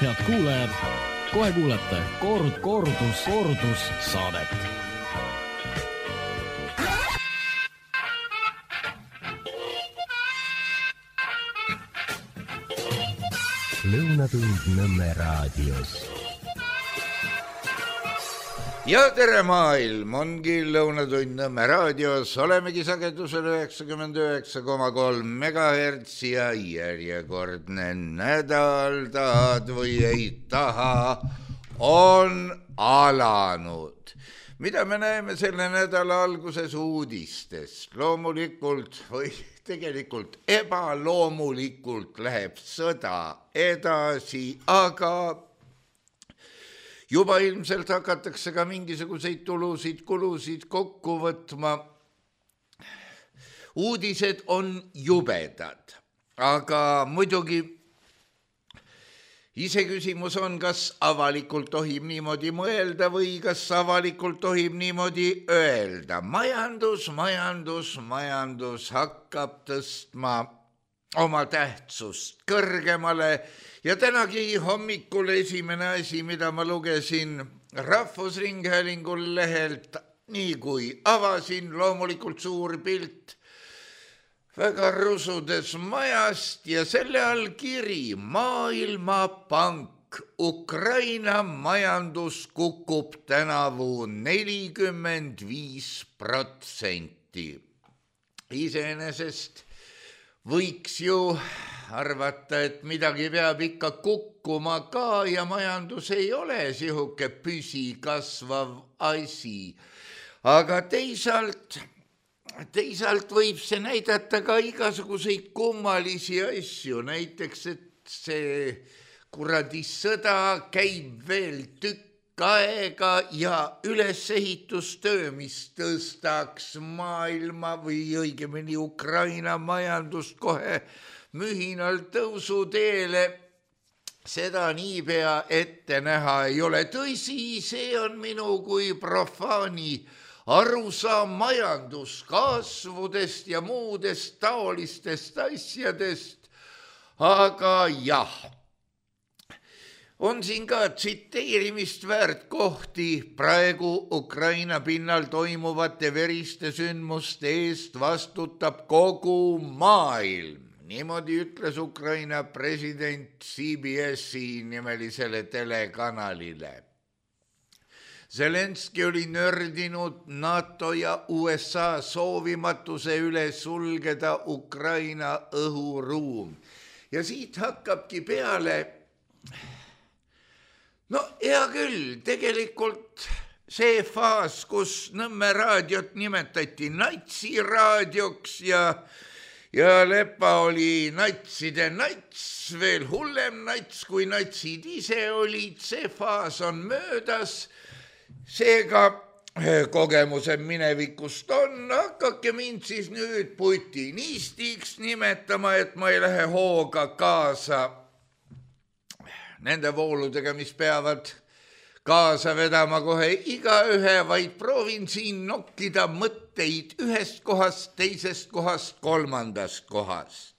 Head kuulajad, kohe kuulete kordus saadet. Lõunatund Nõmme raadios. Ja tere maailm, ongi Lõunatund Nõmme raadios, olemegi sagedusel 99,3 MHz ja järjekordne nädal, tahad või ei taha, on alanud. Mida me näeme selle nädala alguses uudistes? Loomulikult või tegelikult ebaloomulikult läheb sõda edasi, aga juba ilmselt hakatakse ka mingisuguseid tulusid-kulusid kokku võtma. Uudised on jubedad, aga muidugi iseküsimus on, kas avalikult tohib niimoodi mõelda või kas avalikult tohib niimoodi öelda. Majandus hakkab tõstma oma tähtsust kõrgemale ja tänagi hommikul esimene asi, mida ma lugesin Rahvusringhäälingul lehelt, nii kui avasin, loomulikult suur pilt väga rusudes majast ja selle all kiri Maailmapank. Ukraina majandus kukub tänavu 45%. Iseenesest võiks ju arvata, et midagi peab ikka kukkuma ka ja majandus ei ole sihuke püsikasvav asi. Aga teisalt võib see näidata ka igasuguseid kummalisi asju, näiteks, et see kuradi sõda käib veel tükk aega ja ülesehitustöö, mis tõstaks maailma või õigemini Ukraina majandust kohe mühinal tõusuteele, seda niipea ette näha ei ole. Tõsi, see on minu kui profaani arusaam majanduskasvudest ja muudest taolistest asjadest, aga jah, on siin ka tsiteerimist väärt kohti. Praegu Ukraina pinnal toimuvate veriste sündmuste eest vastutab kogu maailm. Niimoodi ütles Ukraina president CBS-i nimelisele telekanalile. Zelenski oli nördinud NATO ja USA soovimatuse üle sulgeda Ukraina õhuruum. Ja siit hakkabki peale, no hea küll, tegelikult see faas, kus Nõmme raadiot nimetati natsiraadioks ja Lepa oli natside nats, veel hullem nats kui natsid ise olid, see faas on möödas. Seega kogemused minevikust on, hakake mind siis nüüd putinistiks nimetama, et ma ei lähe hooga kaasa nende vooludega, mis peavad kaasa vedama kohe igaühe, vaid proovin siin nokkida mõtteid ühest kohast, teisest kohast, kolmandast kohast.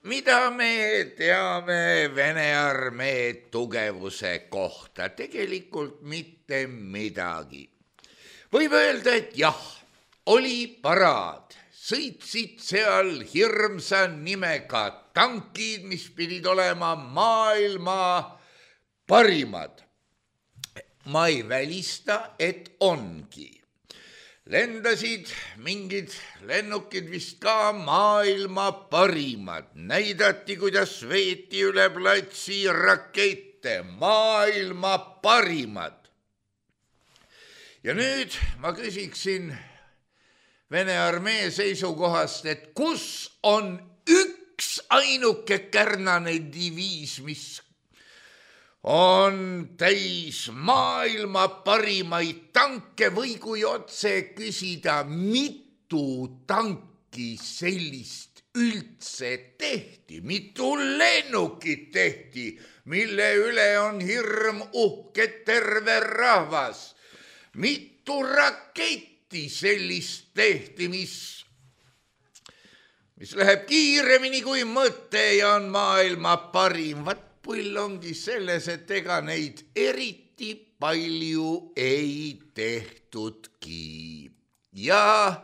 Mida me teame Vene armee tugevuse kohta? Tegelikult mitte midagi. Võib öelda, et jah, oli paraad. Sõitsid seal hirmsa nimega tankid, mis pidid olema maailma parimad. Ma ei välista, et ongi. Lendasid mingid lennukid vist ka maailma parimad. Näidati, kuidas veeti üle platsi rakette, maailma parimad. Ja nüüd ma küsiksin Vene armee seisukohast, et kus on üks ainuke kärnane diviis, mis on täis maailma parimaid tanke või kui otse küsida, mitu tanki sellist üldse tehti, mitu lennukit tehti, mille üle on hirm uhke terve rahvas, mitu raketti sellist tehti, mis läheb kiiremini kui mõte ja on maailma parim. Vat pull ongi selles, et ega neid eriti palju ei tehtudki. Ja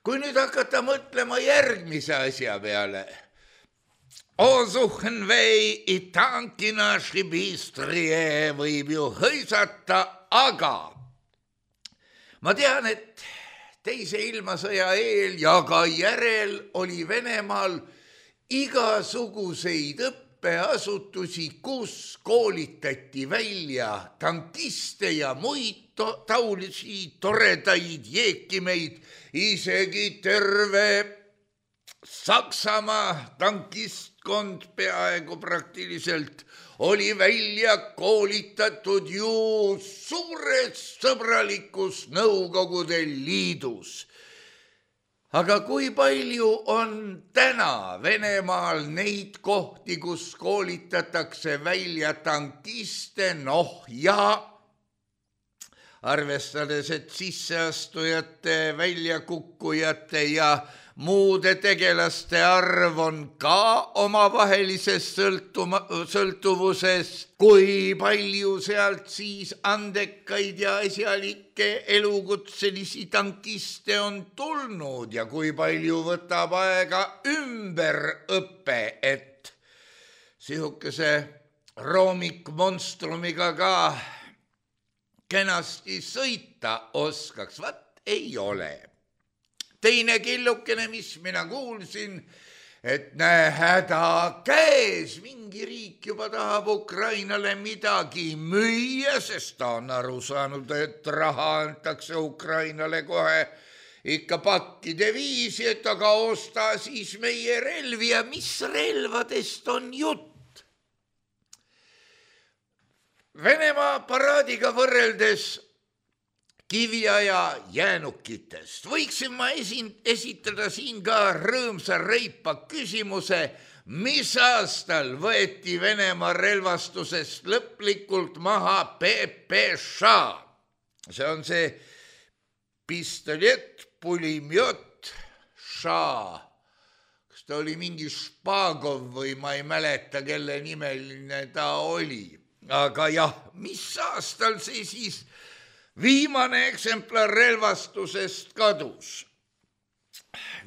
kui nüüd hakata mõtlema järgmise asja peale, Osuchen vei itankina šibistrie võib ju hõisata, aga ma tean, et teise ilmasõja eel ja ka järel oli Venemaal igasuguseid õppeasutusi, kus koolitati välja tankiste ja muid taolisi toredaid jeekimeid, isegi terve Saksamaa tankistkond peaaegu praktiliselt oli välja koolitatud ju suures sõbralikus Nõukogude Liidus. Aga kui palju on täna Venemaal neid kohti, kus koolitatakse välja tankiste, ja arvestades, et sisseastujate, väljakukkujate ja muude tegelaste arv on ka omavahelises sõltuvuses, kui palju sealt siis andekaid ja asjalikke elukutselisi tankiste on tulnud ja kui palju võtab aega ümberõpe, et sihukese roomikmonstrumiga ka kenasti sõita oskaks, vaat ei ole. Teine killukene, mis mina kuulsin, et näe, häda käes, mingi riik juba tahab Ukrainale midagi müüa, sest ta on aru saanud, et raha antakse Ukrainale kohe ikka pakkide viisi, et aga osta siis meie relvi ja mis relvadest on jutt. Venemaa paraadiga võrreldes kiviaja jäänukitest võiksin ma esitada siin ka rõõmsa reipa küsimuse, mis aastal võeti Venemaa relvastusest lõplikult maha PPŠ. See on see pistolett, pulimjot, ša. Kas ta oli mingi Špagov või ma ei mäleta, kelle nimeline ta oli. Aga jah, mis aastal see siis viimane eksemplar relvastusest kadus?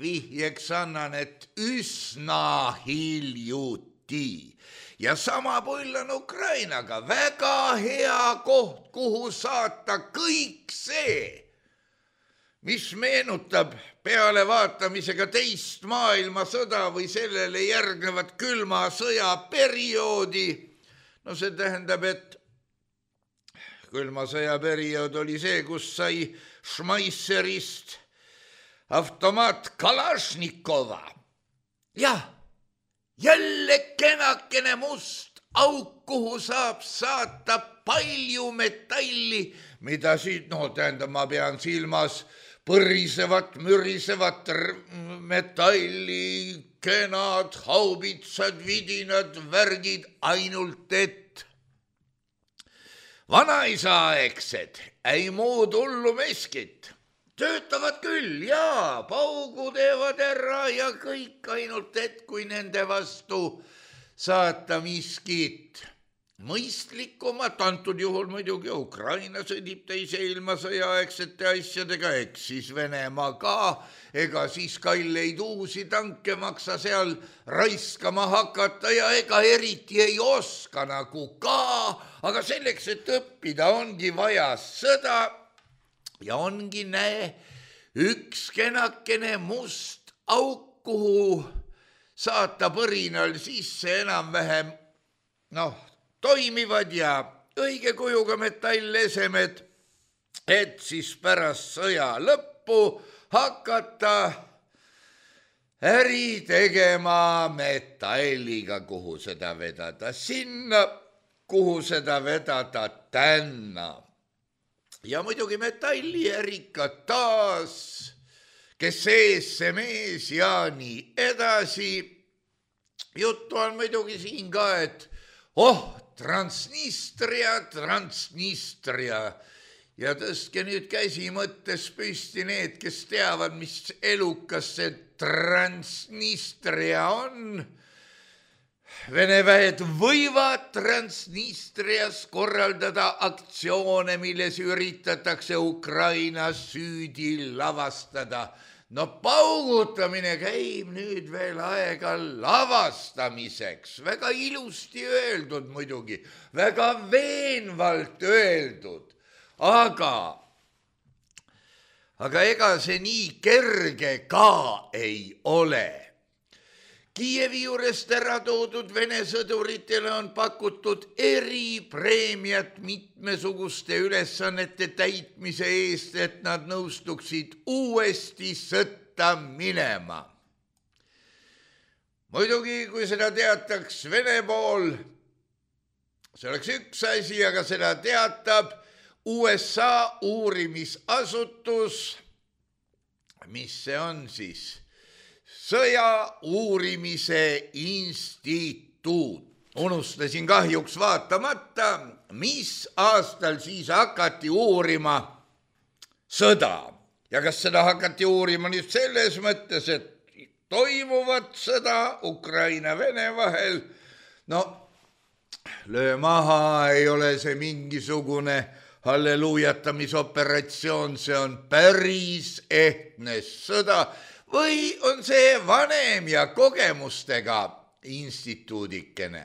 Vihjeks annan, et üsna hiljuti. Ja sama pull on Ukrainaga. Väga hea koht, kuhu saata kõik see, mis meenutab peale vaatamisega teist maailmasõda või sellele järgnevat külma sõja perioodi. No see tähendab, et külma sõja periood oli see, kus sai Schmeisserist automaat Kalašnikova. Jah, jälle kenakene must auk, kuhu saab saata palju metalli, mida siit, ma pean silmas põrisevat, mürisevat metalli, kenad, haubitsad, vidinad, värgid, ainult et vanaisaaegsed, ei muud hullu meskit. Töötavad küll, jaa, paugu teevad ära ja kõik, ainult et kui nende vastu saata miskit mõistlikumat, antud juhul muidugi Ukraina sõdib teise ilmasõja aegsete asjadega, eks siis Venemaa ka, ega siis kalleid uusi tanke maksa seal raiskama hakata ja ega eriti ei oska nagu ka, aga selleks, et õppida, ongi vaja sõda ja ongi, näe, üks kenakene must auk, kuhu saata põrinal sisse enam-vähem, toimivad ja õige kujuga metallesemed, et siis pärast sõja lõppu hakata äri tegema metalliga, kuhu seda vedada sinna, kuhu seda vedada tänna. Ja muidugi metalliärikad taas, kes ees see mees ja nii edasi. Juttu on muidugi siin ka, et Transnistria ja tõstke nüüd käsi mõttes püsti need, kes teavad, mis elukas see Transnistria on. Vene väed võivad Transnistrias korraldada aktsioone, milles üritatakse Ukrainas süüdi lavastada. No paugutamine käib nüüd veel aega lavastamiseks. Väga ilusti öeldud muidugi, väga veenvalt öeldud. Aga ega see nii kerge ka ei ole. Kiievi juurest ära toodud Vene sõduritele on pakutud eripreemiat mitmesuguste ülesannete täitmise eest, et nad nõustuksid uuesti sõtta minema. Muidugi, kui seda teataks Vene pool, see oleks üks asi, aga seda teatab USA uurimisasutus, mis see on siis? Sõja uurimise instituut. Unustasin kahjuks vaatamata, mis aastal siis hakati uurima sõda. Ja kas seda hakati uurima nüüd selles mõttes, et toimuvat sõda Ukraina-Vene vahel? No, löö maha, ei ole see mingisugune halleluujatamisoperatsioon, see on päris ehtne sõda. Või on see vanem ja kogemustega instituudikene?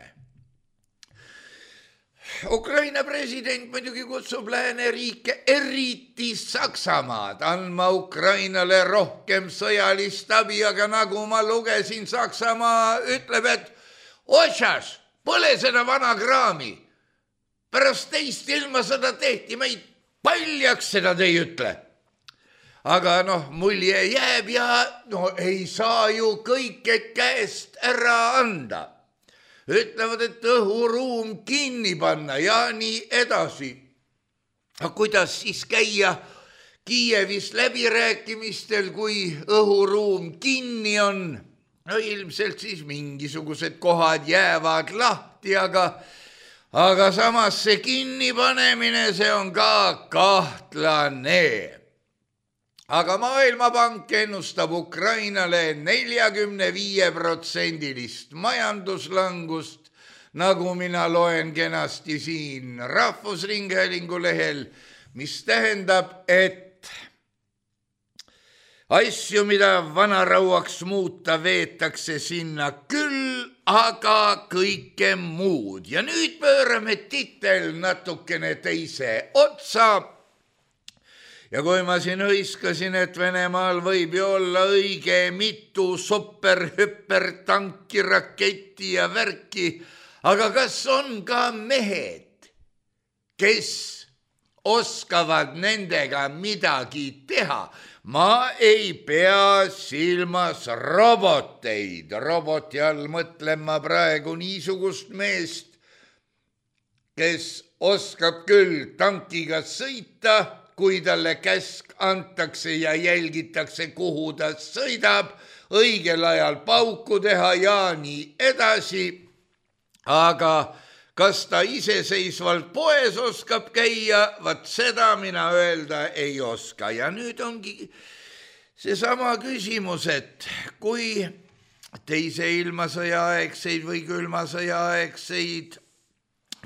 Ukraina president muidugi kutsub lääneriike, eriti Saksamaad, andma Ukrainale rohkem sõjalist abi, aga nagu ma lugesin, Saksamaa ütleb, et otsas, pole seda vana kraami. Pärast teist ilmasõda tehti meid paljaks, seda te ei ütle. Aga mulje jääb ja ei saa ju kõike käest ära anda. Ütlevad, et õhuruum kinni panna ja nii edasi. Aga kuidas siis käia Kiievis läbirääkimistel, kui õhuruum kinni on? No ilmselt siis mingisugused kohad jäävad lahti, aga samas see kinnipanemine, see on ka kahtlane. Aga Maailmapank ennustab Ukrainale 45% majanduslangust, nagu mina loen kenasti siin Rahvusringhäälingu lehel, mis tähendab, et asju, mida vanarauaks muuta, veetakse sinna küll, aga kõike muud. Ja nüüd pöörame titel natukene teise otsa. Ja kui ma siin hõiskasin, et Venemaal võib ju olla õige mitu superhüpertanki, raketti ja värki, aga kas on ka mehed, kes oskavad nendega midagi teha? Ma ei pea silmas roboteid. Roboti all mõtlen ma praegu niisugust meest, kes oskab küll tankiga sõita, kui talle käsk antakse ja jälgitakse, kuhu ta sõidab, õigel ajal pauku teha ja nii edasi. Aga kas ta iseseisvalt poes oskab käia, vaat seda mina öelda ei oska. Ja nüüd ongi seesama küsimus, et kui teise ilmasõja aegseid või külmasõja aegseid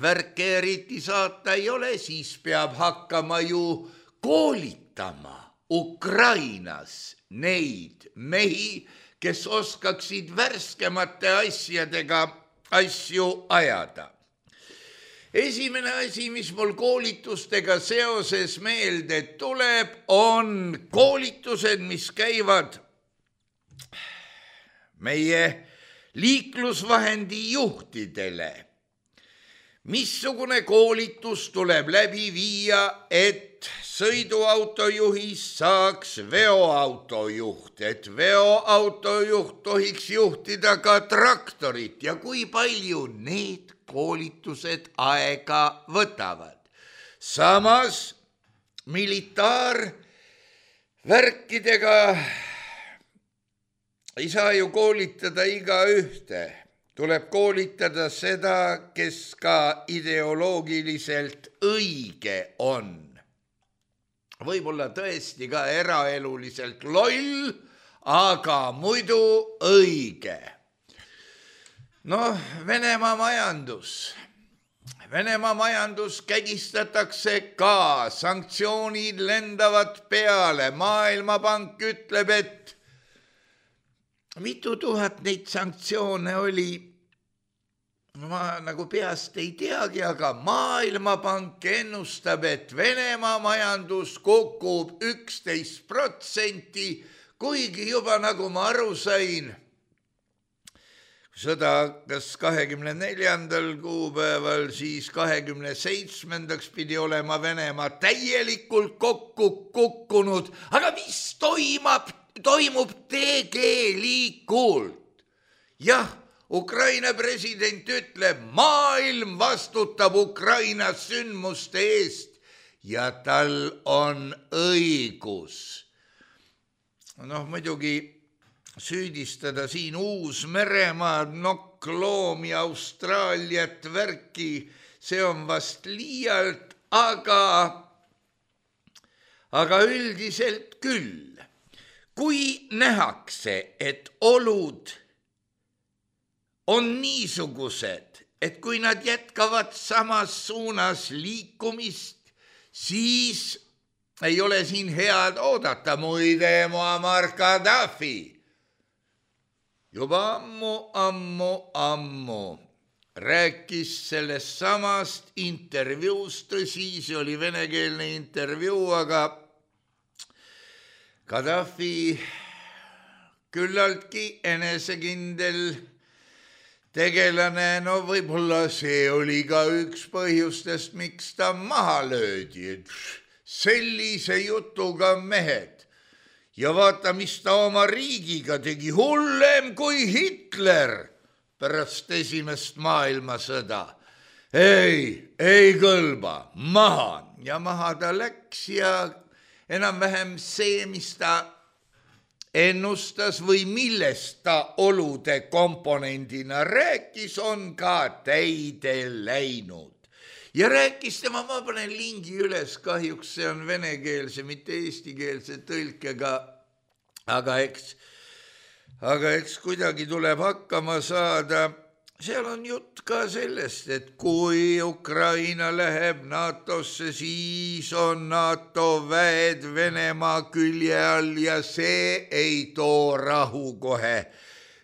värke eriti saata ei ole, siis peab hakkama ju koolitama Ukrainas neid mehi, kes oskaksid värskemate asjadega asju ajada. Esimene asi, mis mul koolitustega seoses meelde tuleb, on koolitused, mis käivad meie liiklusvahendi juhtidele. Missugune koolitus tuleb läbi viia, et sõiduautojuhist saaks veoautojuht, et veoautojuht tohiks juhtida ka traktorit ja kui palju need koolitused aega võtavad. Samas militaarvärkidega ei saa ju koolitada igaühte. Tuleb koolitada seda, kes ka ideoloogiliselt õige on. Võib-olla tõesti ka eraeluliselt loll, aga muidu õige. Noh, Venemaa majandus kägistatakse ka, sanktsioonid lendavad peale, Maailmapank ütleb, et mitu tuhat neid sanktsioone oli, ma nagu peast ei teagi, aga Maailmapank ennustab, et Venemaa majandus kukub 11%, kuigi juba nagu ma aru sain, sõda kas 24. kuupäeval, siis 27. pidi olema Venemaa täielikult kokku kukkunud, aga mis toimub tegelikult? Jah, Ukraina president ütleb, maailm vastutab Ukraina sündmuste eest ja tal on õigus. Noh, muidugi süüdistada siin Uus-Meremaad, nokkloomi, Austraaliat, värki, see on vast liialt, aga üldiselt küll. Kui nähakse, et olud on niisugused, et kui nad jätkavad samas suunas liikumist, siis ei ole siin head oodata. Muide, Muammar Gaddafi juba ammu rääkis sellest samast intervjuust, tõsi, see oli venekeelne intervjuu, aga Gaddafi küllaltki enesekindel tegelane, no võib-olla see oli ka üks põhjustest, miks ta maha löödi, et sellise jutuga mehed. Ja vaata, mis ta oma riigiga tegi, hullem kui Hitler pärast esimest maailmasõda. Ei kõlba, maha. Ja maha ta läks ja enam-vähem see, mis ta ennustas või millest ta olude komponendina rääkis, on ka täide läinud. Ja rääkis tema, ma panen lingi üles, kahjuks see on venekeelse, mitte eestikeelse tõlkega, aga eks kuidagi tuleb hakkama saada. Seal on jutt ka sellest, et kui Ukraina läheb NATO-sse, siis on NATO väed Venemaa külje all ja see ei too rahu kohe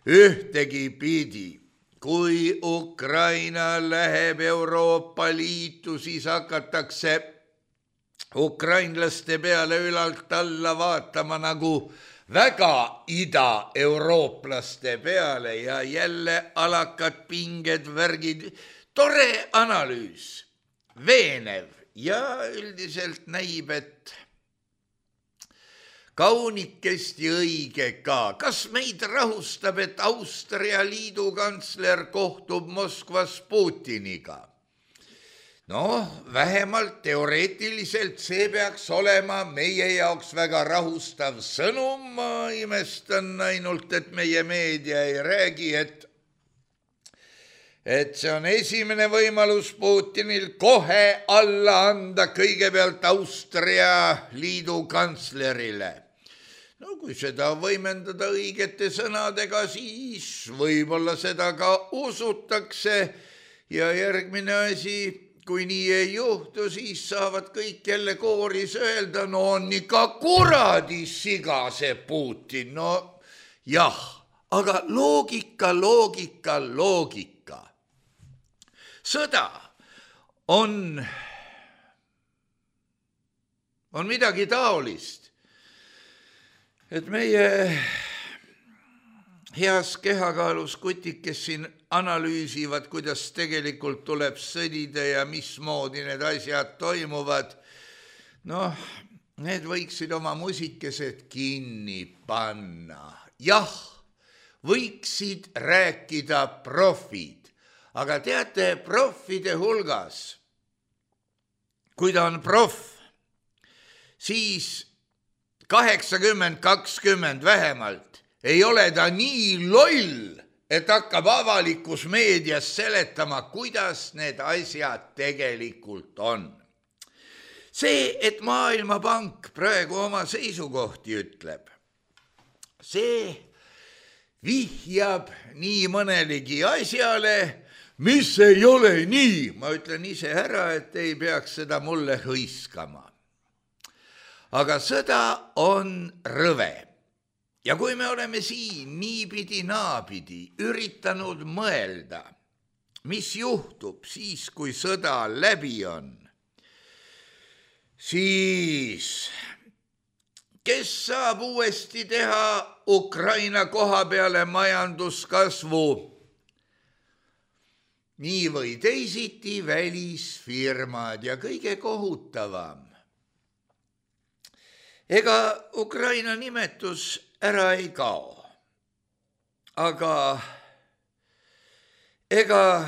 ühtegi pidi. Kui Ukraina läheb Euroopa Liitu, siis hakatakse ukrainlaste peale ülalt alla vaatama nagu väga ida-eurooplaste peale ja jälle alakad pinged, värgid. Tore analüüs, veenev ja üldiselt näib, et kaunikesti õige ka. Kas meid rahustab, et Austria liidukantsler kohtub Moskvas Putiniga? Noh, vähemalt teoreetiliselt see peaks olema meie jaoks väga rahustav sõnum. Ma imestan ainult, et meie meedia ei räägi, et see on esimene võimalus Putinil kohe alla anda kõigepealt Austria liidukantslerile. No kui seda võimendada õigete sõnadega, siis võib-olla seda ka usutakse ja järgmine asi, kui nii ei juhtu, siis saavad kõik jälle kooris öelda, no on ikka kuradi siga see Putin, no jah, aga loogika. Sõda on midagi taolist, et meie heas kehakaalus kutik, kes siin analüüsivad, kuidas tegelikult tuleb sõdida ja mismoodi need asjad toimuvad, noh, need võiksid oma musikesed kinni panna. Jah, võiksid rääkida profid, aga teate, profide hulgas, kui ta on proff, siis 80-20 vähemalt ei ole ta nii loll, et hakkab avalikus meedias seletama, kuidas need asjad tegelikult on. See, et Maailmapank praegu oma seisukohti ütleb, see vihjab nii mõnelegi asjale, mis ei ole nii. Ma ütlen ise ära, et ei peaks seda mulle hõiskama. Aga sõda on rõve. Ja kui me oleme siin niipidi naapidi üritanud mõelda, mis juhtub siis, kui sõda läbi on, siis kes saab uuesti teha Ukraina koha peale majanduskasvu? Nii või teisiti välisfirmad ja kõige kohutavam. Ega Ukraina nimetus ära ei kao, aga ega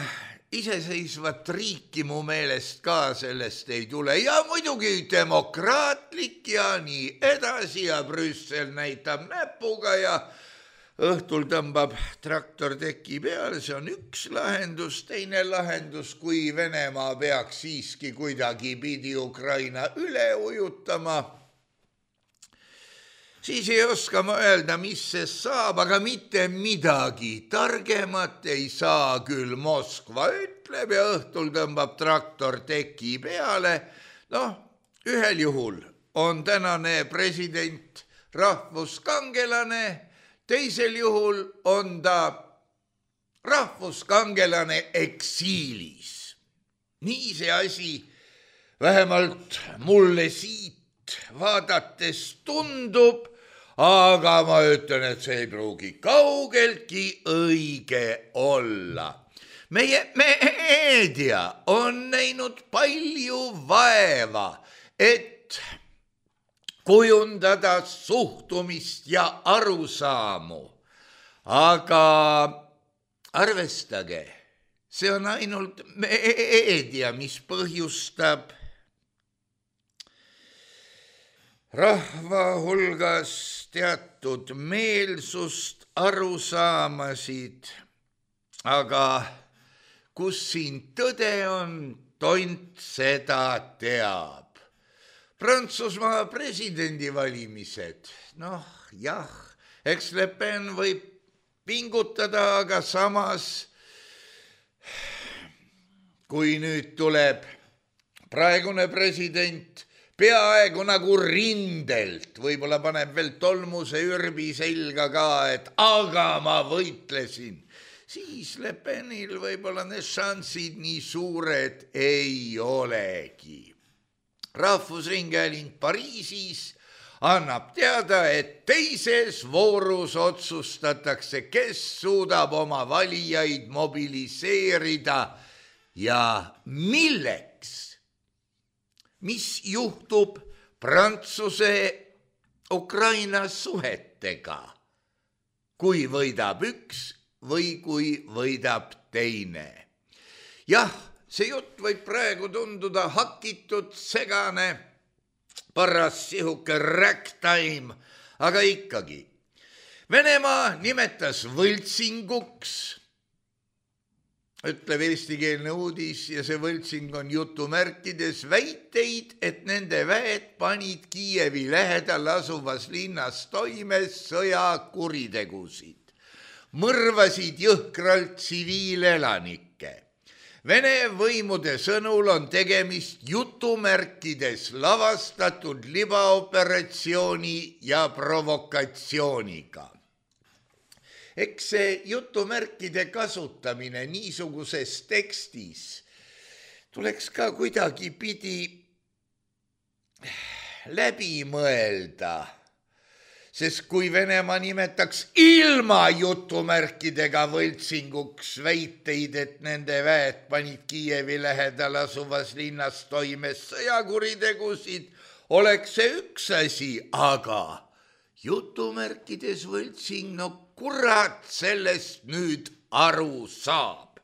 iseseisvat riiki mu meelest ka sellest ei tule ja muidugi demokraatlik ja nii edasi ja Brüssel näitab näpuga ja õhtul tõmbab traktor teki peale, see on üks lahendus, teine lahendus, kui Venemaa peaks siiski kuidagi pidi Ukraina üle ujutama, siis ei oska ma öelda, mis see saab, aga mitte midagi targemat ei saa küll. Moskva ütleb ja õhtul tõmbab traktor teki peale. Ühel juhul on tänane president rahvuskangelane, teisel juhul on ta rahvuskangelane eksiilis. Nii see asi vähemalt mulle siit vaadates tundub, aga ma ütlen, et see ei pruugi kaugeltki õige olla. Meie meedia on näinud palju vaeva, et kujundada suhtumist ja arusaamu. Aga arvestage, see on ainult meedia, mis põhjustab rahva hulgas teatud meelsust, arusaamasid, aga kus siin tõde on, tont seda teab. Prantsusmaa presidendivalimised, jah, eks Le Pen võib pingutada, aga samas, kui nüüd tuleb praegune president peaaegu nagu rindelt, võib-olla paneb veel tolmuse ürbi selga ka, et aga ma võitlesin, siis Le Penil võib-olla need šansid nii suured ei olegi. Rahvusringhääling Pariisis annab teada, et teises voorus otsustatakse, kes suudab oma valijaid mobiliseerida ja milleks. Mis juhtub Prantsuse-Ukraina suhetega, kui võidab üks või kui võidab teine. Jah, see jutt võib praegu tunduda hakitud, segane, paras sihuke ragtime, aga ikkagi. Venemaa nimetas võltsinguks, ütleb eestikeelne uudis ja see võltsing on jutumärkides väiteid, et nende väed panid Kiievi lähedal asuvas linnas toime sõjakuritegusid. Mõrvasid jõhkralt tsiviilelanikke. Vene võimude sõnul on tegemist jutumärkides lavastatud libaoperatsiooni ja provokatsiooniga. Eks see jutumärkide kasutamine niisuguses tekstis tuleks ka kuidagi pidi läbi mõelda, sest kui Venemaa nimetaks ilma jutumärkidega võltsinguks väiteid, et nende väed panid Kiievi lähedal asuvas linnas toime sõjakuritegusid, oleks see üks asi, aga jutumärkides võltsing, kurat sellest nüüd aru saab.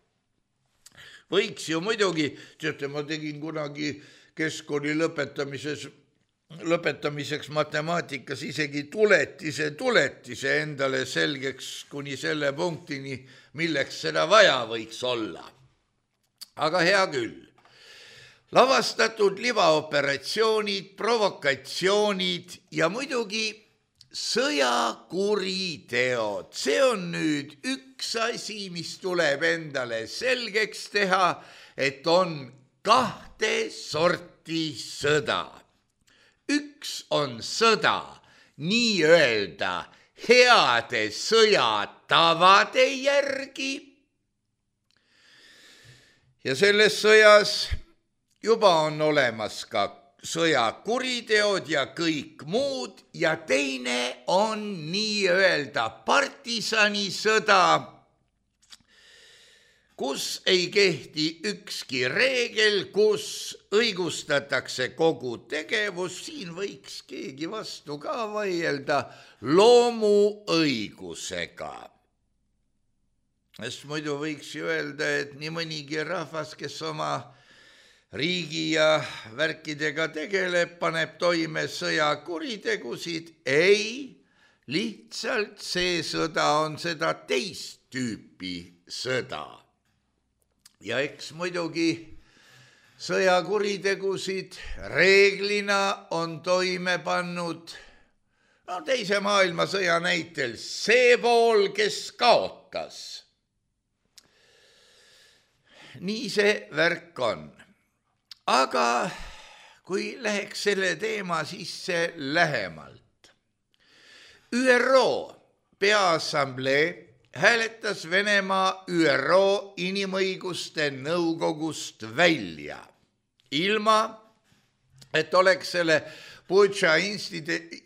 Võiks ju muidugi, teate, ma tegin kunagi keskkooli lõpetamiseks matemaatikas isegi tuletise endale selgeks kuni selle punktini, milleks seda vaja võiks olla. Aga hea küll. Lavastatud libaoperatsioonid, provokatsioonid ja muidugi sõjakuriteod, see on nüüd üks asi, mis tuleb endale selgeks teha, et on kahte sorti sõda. Üks on sõda nii-öelda heade sõjatavade järgi ja selles sõjas juba on olemas ka sõjakuriteod ja kõik muud ja teine on nii-öelda partisanisõda, kus ei kehti ükski reegel, kus õigustatakse kogu tegevus, siin võiks keegi vastu ka vaielda, loomuõigusega. Sest muidu võiks ju öelda, et nii mõnigi rahvas, kes oma riigi ja värkidega tegeleb, paneb toime sõjakuritegusid. Ei, lihtsalt see sõda on seda teist tüüpi sõda. Ja eks muidugi sõjakuritegusid reeglina on toime pannud teise maailmasõja näitel see pool, kes kaotas. Nii see värk on. Aga kui läheks selle teema sisse lähemalt. ÜRO Peaassamblee hääletas Venemaa ÜRO Inimõiguste Nõukogust välja, ilma et oleks selle Butša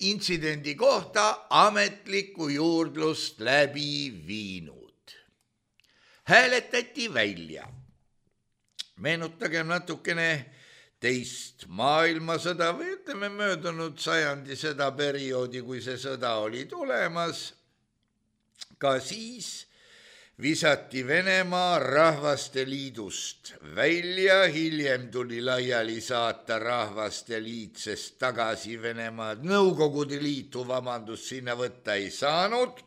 intsidendi kohta ametlikku juurdlust läbi viinud. Hääletati välja. Meenutagem natukene teist maailmasõda või ütleme möödunud sajandi seda perioodi, kui see sõda oli tulemas. Ka siis visati Venemaa Rahvaste Liidust välja, hiljem tuli laiali saata Rahvaste Liit, sest tagasi Venemaad Nõukogude Liitu, sinna võtta ei saanud.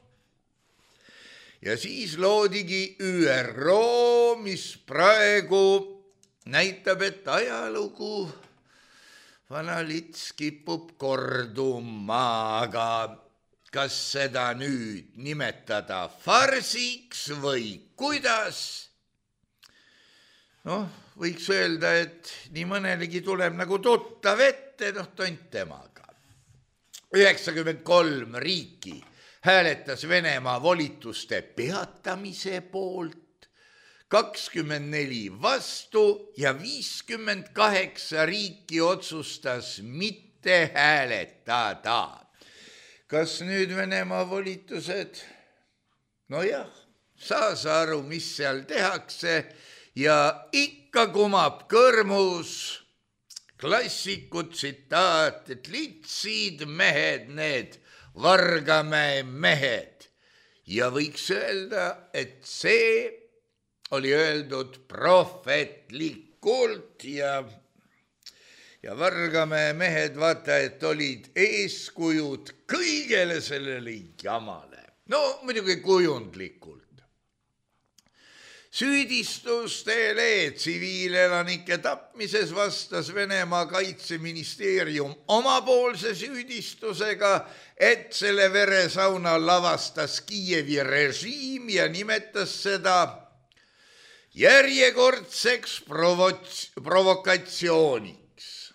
Ja siis loodigi ÜRO, mis praegu näitab, et ajalugu vana lits kipub korduma, aga kas seda nüüd nimetada farsiks või kuidas? Võiks öelda, et nii mõnelegi tuleb nagu tuttav ette, tont temaga. 93 riiki hääletas Venemaa volituste peatamise poolt, 24 vastu ja 58 riiki otsustas mitte hääletada. Kas nüüd Venemaa volitused? Nojah, saa aru, mis seal tehakse ja ikka kumab kõrmus klassiku tsitaat, et litsid mehed need, Vargamäe mehed. Ja võiks öelda, et see oli öeldud prohvetlikult ja Vargamäe mehed, vaata, et olid eeskujud kõigele sellele jamale. Muidugi kujundlikult. Süüdistustele tsiviilelanike tapmises vastas Venemaa kaitseministeerium omapoolse süüdistusega, et selle veresauna lavastas Kiievi režiim ja nimetas seda järjekordseks provokatsiooniks.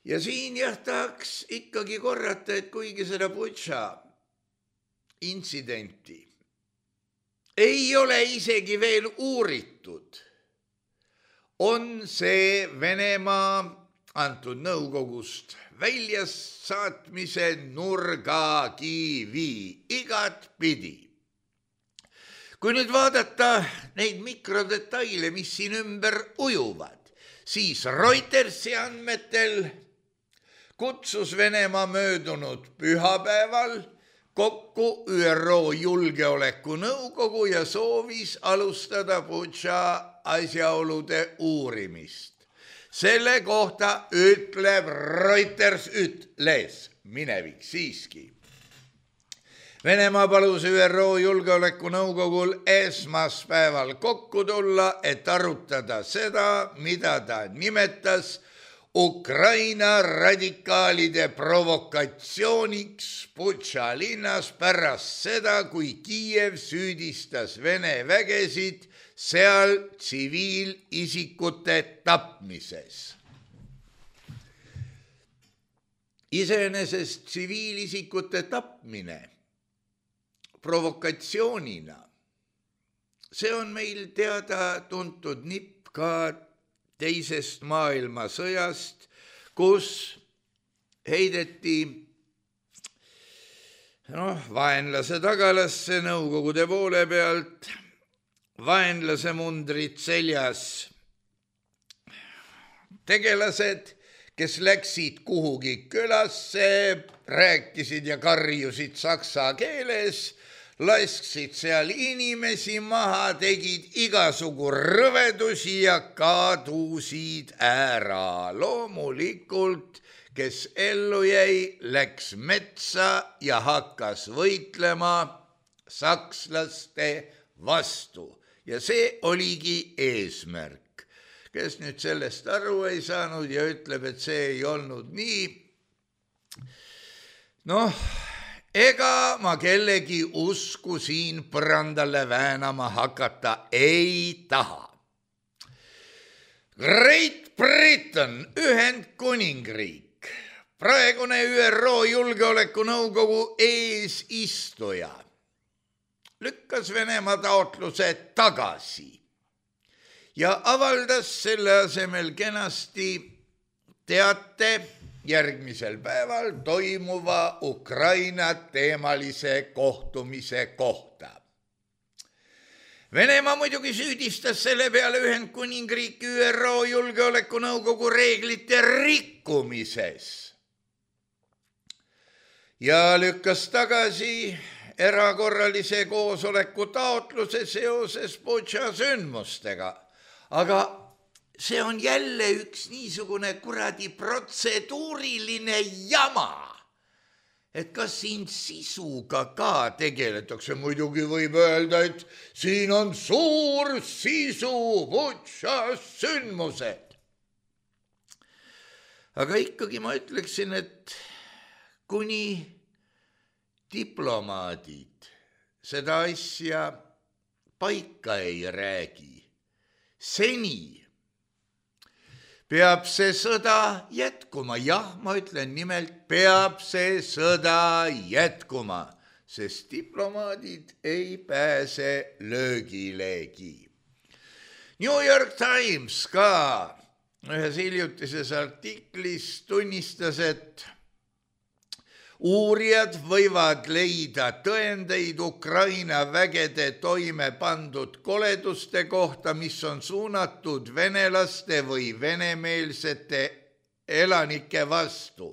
Ja siin tahaks ikkagi korrata, et kuigi seda Butša intsidenti ei ole isegi veel uuritud, on see Venemaa antud Nõukogust väljasaatmise nurgakivi igatpidi. Kui nüüd vaadata neid mikrodetaile, mis siin ümber ujuvad, siis Reutersi andmetel kutsus Venemaa möödunud pühapäeval kokku ÜRO Julgeolekunõukogu ja soovis alustada Butša asjaolude uurimist. Selle kohta ütleb Reuters, minevik siiski. Venemaa palus ÜRO Julgeolekunõukogul esmaspäeval kokku tulla, et arutada seda, mida ta nimetas Ukraina radikaalide provokatsiooniks Butša linnas pärast seda, kui Kiiev süüdistas Vene vägesid seal tsiviilisikute tapmises. Iseenesest tsiviilisikute tapmine provokatsioonina, see on meil teada tuntud nipp ka teisest maailmasõjast, kus heideti vaenlase tagalasse Nõukogude poole pealt, vaenlase mundrid seljas tegelased, kes läksid kuhugi külasse, rääkisid ja karjusid saksa keeles, lasksid seal inimesi maha, tegid igasugu rõvedusi ja kadusid ära. Loomulikult, kes ellu jäi, läks metsa ja hakkas võitlema sakslaste vastu. Ja see oligi eesmärk. Kes nüüd sellest aru ei saanud ja ütleb, et see ei olnud nii, ega ma kellegi usku siin põrandale väänama hakata ei taha. Great Britain, Ühendkuningriik, praegune ÜRO Julgeolekunõukogu eesistuja, lükkas Venemaa taotluse tagasi ja avaldas selle asemel kenasti teate järgmisel päeval toimuva Ukraina teemalise kohtumise kohta. Venemaa muidugi süüdistas selle peale Ühendkuningriiki ÜRO Julgeolekunõukogu reeglite rikkumises ja lükkas tagasi erakorralise koosoleku taotluse seoses Butša sündmustega. Aga see on jälle üks niisugune kuradi protseduuriline jama, et kas siin sisuga ka tegeletakse. Muidugi võib öelda, et siin on suur sisu, Butša sündmused. Aga ikkagi ma ütleksin, et kuni diplomaadid seda asja paika ei räägi, seni peab see sõda jätkuma. Jah, ma ütlen nimelt, peab see sõda jätkuma, sest diplomaadid ei pääse löögilegi. New York Times ka ühes hiljutises artiklis tunnistas, et uurijad võivad leida tõendeid Ukraina vägede toime pandud koleduste kohta, mis on suunatud venelaste või venemeelsete elanike vastu.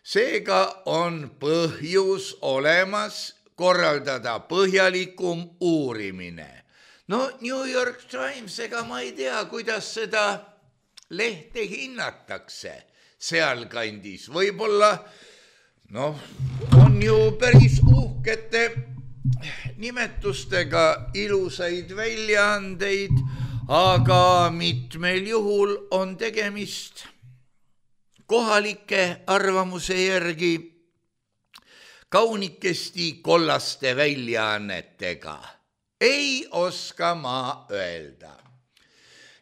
Seega on põhjus olemas korraldada põhjalikum uurimine. New York Times, ega ma ei tea, kuidas seda lehte hinnatakse sealkandis. Võib-olla on ju päris uhkete nimetustega ilusaid väljaandeid, aga mitmel juhul on tegemist kohalike arvamuse järgi kaunikesti kollaste väljaannetega. Ei oska ma öelda.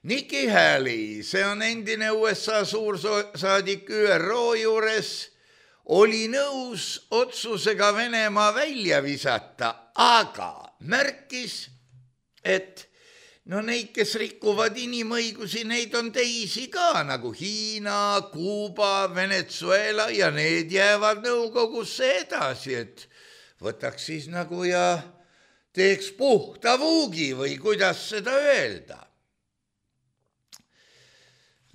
Nikki Haley, see on endine USA suursaadik ÜRO juures, oli nõus otsusega Venemaa välja visata, aga märkis, et neid, kes rikuvad inimõigusi, neid on teisi ka, nagu Hiina, Kuuba, Venezuela ja need jäävad nõukogusse edasi, et võtaks siis nagu ja teeks puhta vuugi või kuidas seda öelda.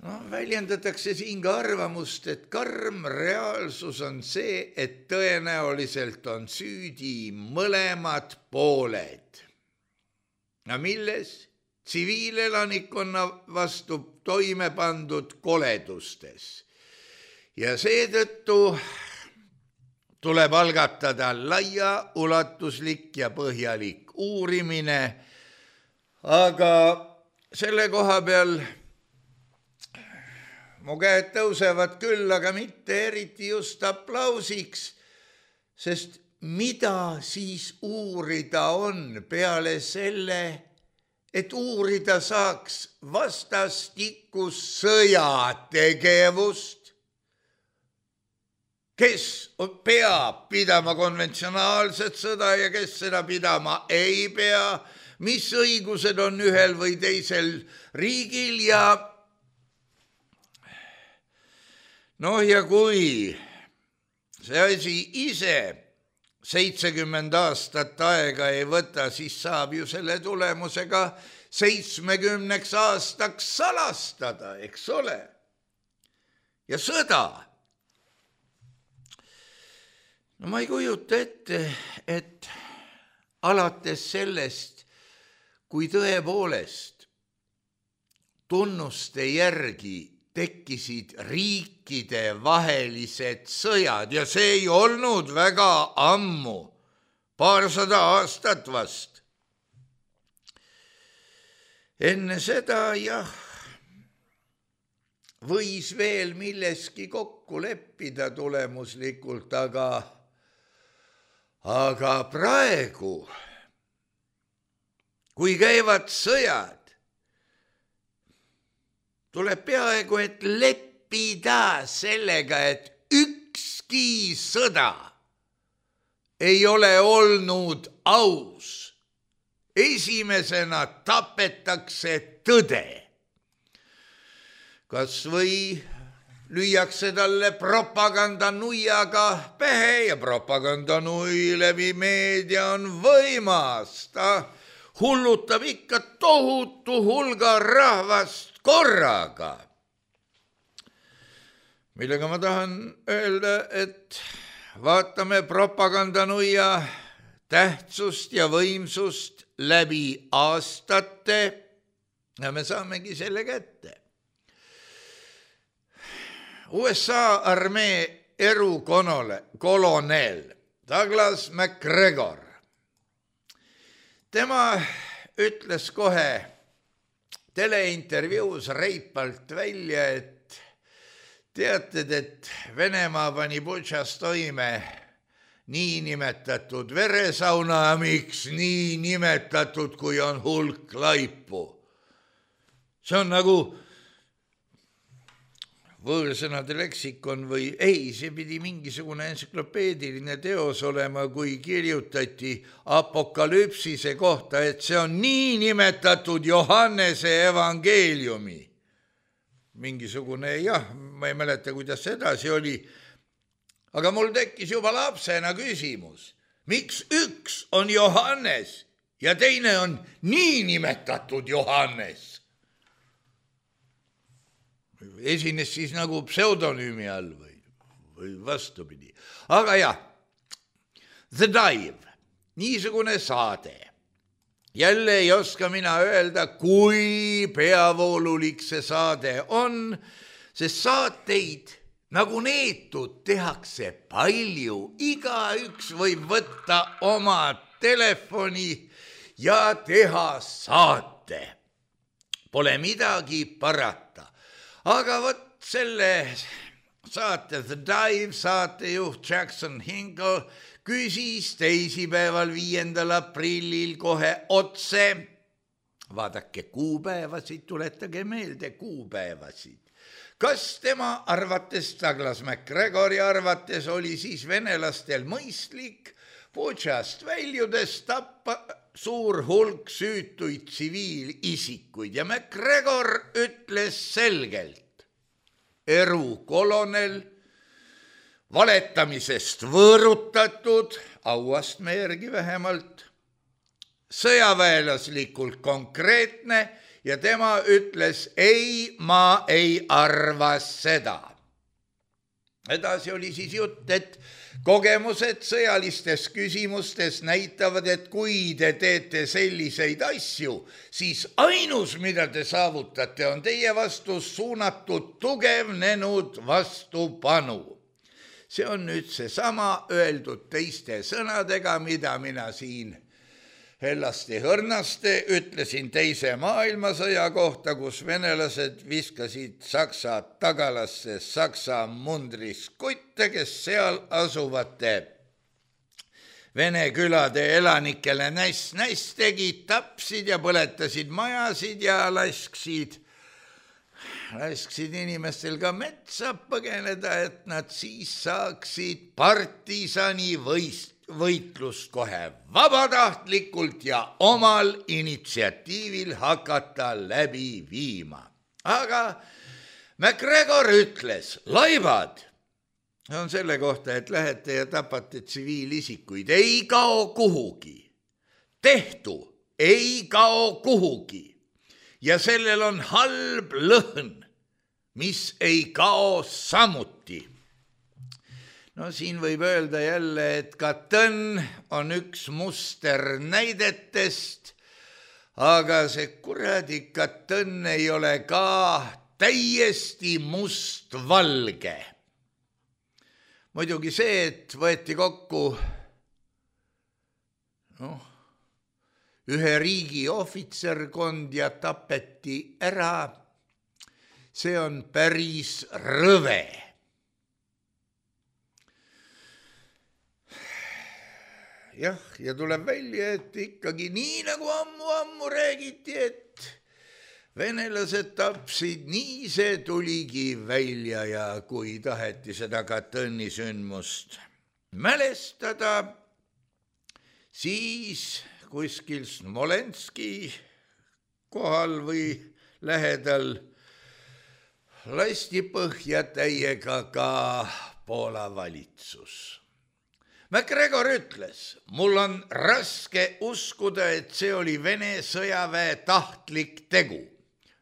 Väljendatakse siin ka arvamust, et karm reaalsus on see, et tõenäoliselt on süüdi mõlemad pooled. Milles? Tsiviilelanikkonna vastu toime pandud koledustes. Ja seetõttu tuleb algatada laiaulatuslik ja põhjalik uurimine, aga selle koha peal mu käed tõusevad küll, aga mitte eriti just aplausiks, sest mida siis uurida on peale selle, et uurida saaks vastastikus sõjategevust? Kes peab pidama konventsionaalset sõda ja kes seda pidama ei pea, mis õigused on ühel või teisel riigil ja ja kui see asi ise 70 aastat aega ei võta, siis saab ju selle tulemusega 70 aastaks salastada, eks ole. Ja sõda. Ma ei kujuta ette, et alates sellest, kui tõepoolest tunnuste järgi tekkisid riikide vahelised sõjad ja see ei olnud väga ammu, 200 aastat vast. Enne seda võis veel milleski kokku leppida tulemuslikult, aga praegu, kui käivad sõjad, tuleb peaaegu, et leppida sellega, et ükski sõda ei ole olnud aus. Esimesena tapetakse tõde. Kas või lüüakse talle propagandanuiaga pähe ja propagandanui läbi meedia on võimas. Ta hullutab ikka tohutu hulga rahvast korraga. Millega ma tahan öelda, et vaatame propagandanuia tähtsust ja võimsust läbi aastate ja me saamegi selle kätte. USA armee erukolonel Douglas MacGregor. Tema ütles kohe teleintervjuus reipalt välja, et teated, et Venemaa pani Butšas toime niinimetatud veresauna, miks niinimetatud, kui on hulk laipu. See on nagu võõrsõnade leksikon või ei, see pidi mingisugune entsüklopeediline teos olema, kui kirjutati apokalüpsise kohta, et see on niinimetatud Johannese evangeeliumi. Mingisugune, ma ei mäleta, kuidas edasi oli, aga mul tekkis juba lapsena küsimus, miks üks on Johannes ja teine on niinimetatud Johannes? Esines siis nagu pseudonüümi all või vastupidi. Aga The Dive, niisugune saade. Jälle ei oska mina öelda, kui peavoolulik see saade on, sest saateid nagu neetud tehakse palju. Igaüks võib võtta oma telefoni ja teha saate. Pole midagi parata. Aga võt selle saate The Dive saatejuht Jackson Hinkle küsis teisipäeval 5. aprillil kohe otse. Vaadake kuupäevasid, tuletage meelde kuupäevasid. Kas tema arvates, Douglas MacGregori arvates oli siis venelastel mõistlik Butšast väljudes tappa suur hulk süütuid tsiviilisikuid ja MacGregor ütles selgelt, erukolonel, valetamisest võõrutatud, auastme järgi vähemalt, sõjaväelaslikult konkreetne ja tema ütles, ei, ma ei arva seda. Edasi oli siis jutt, et kogemused sõjalistes küsimustes näitavad, et kui te teete selliseid asju, siis ainus, mida te saavutate, on teie vastu suunatud tugevnenud vastupanu. See on nüüd seesama öeldud teiste sõnadega, mida mina siin Hellasti Hõrnaste ütlesin teise maailmasõja kohta, kus venelased viskasid Saksa tagalasse Saksa mundris kutte, kes seal asuvate Vene külade elanikele näss tegid, tapsid ja põletasid majasid ja lasksid inimestel ka metsa põgeneda, et nad siis saaksid partisani võitlust kohe vabatahtlikult ja omal initsiatiivil hakata läbi viima. Aga MacGregor ütles, laibad on selle kohta, et lähete ja tapate tsiviilisikuid, ei kao kuhugi. Tehtu ei kao kuhugi. Ja sellel on halb lõhn, mis ei kao samuti. No siin võib öelda jälle, et Katõnn on üks muster näidetest, aga see kuradi Katõnn ei ole ka täiesti mustvalge. Muidugi see, et võeti kokku ühe riigi ohvitserkond ja tapeti ära, see on päris rõve. Jah, ja tuleb välja, et ikkagi nii nagu ammu räägiti, et venelased tapsid, nii see tuligi välja ja kui taheti seda Katõnni sündmust mälestada, siis kuskil Smolenski kohal või lähedal lasti põhja täiega ka Poola valitsus. MacGregor ütles, mul on raske uskuda, et see oli Vene sõjaväe tahtlik tegu.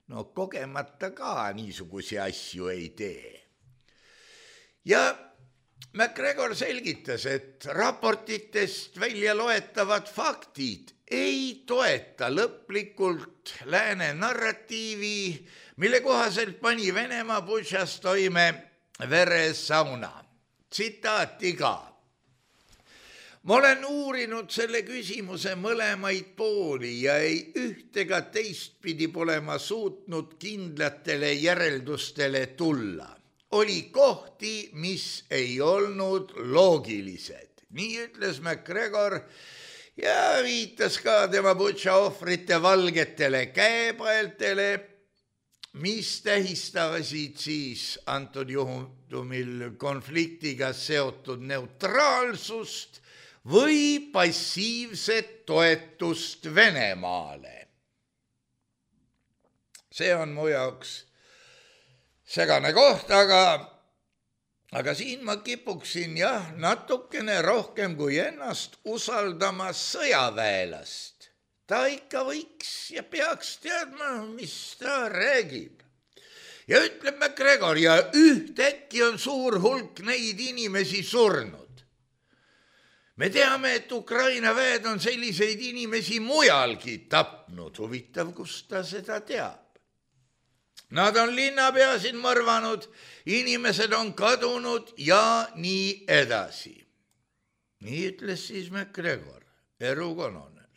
No kogemata ka niisugusi asju ei tee. Ja MacGregor selgitas, et raportitest välja loetavad faktid ei toeta lõplikult lääne narratiivi, mille kohaselt pani Venemaa Butšas toime veresauna. Tsitaati ka. Ma olen uurinud selle küsimuse mõlemaid pooli ja ei üht ega teistpidi pole ma suutnud kindlatele järeldustele tulla. Oli kohti, mis ei olnud loogilised. Nii ütles MacGregor ja viitas ka tema Butša ohvrite valgetele käepaeltele, mis tähistasid siis antud juhtumil konfliktiga seotud neutraalsust või passiivset toetust Venemaale. See on mu jaoks segane koht, aga siin ma kipuksin natukene rohkem kui ennast usaldama sõjaväelast. Ta ikka võiks ja peaks teadma, mis ta räägib. Ja ütleb MacGregor, ja ühtäkki on suur hulk neid inimesi surnud. Me teame, et Ukraina väed on selliseid inimesi mujalgi tapnud. Huvitav, kust ta seda teab. Nad on linnapeasid mõrvanud, inimesed on kadunud ja nii edasi. Nii ütles siis MacGregor, erukolonel.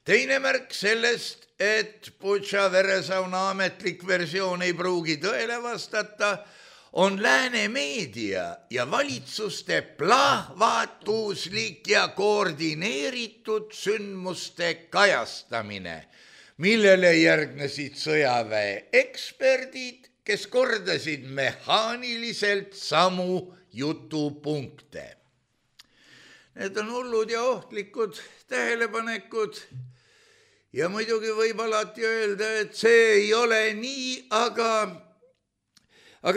Teine märk sellest, et Butša veresauna ametlik versioon ei pruugi tõele vastata, on lääne meedia ja valitsuste plahvatuslik ja koordineeritud sündmuste kajastamine, millele järgnesid sõjaväe eksperdid, kes kordasid mehaaniliselt samu jutupunkte. Need on hullud ja ohtlikud tähelepanekud ja muidugi võib alati öelda, et see ei ole nii, aga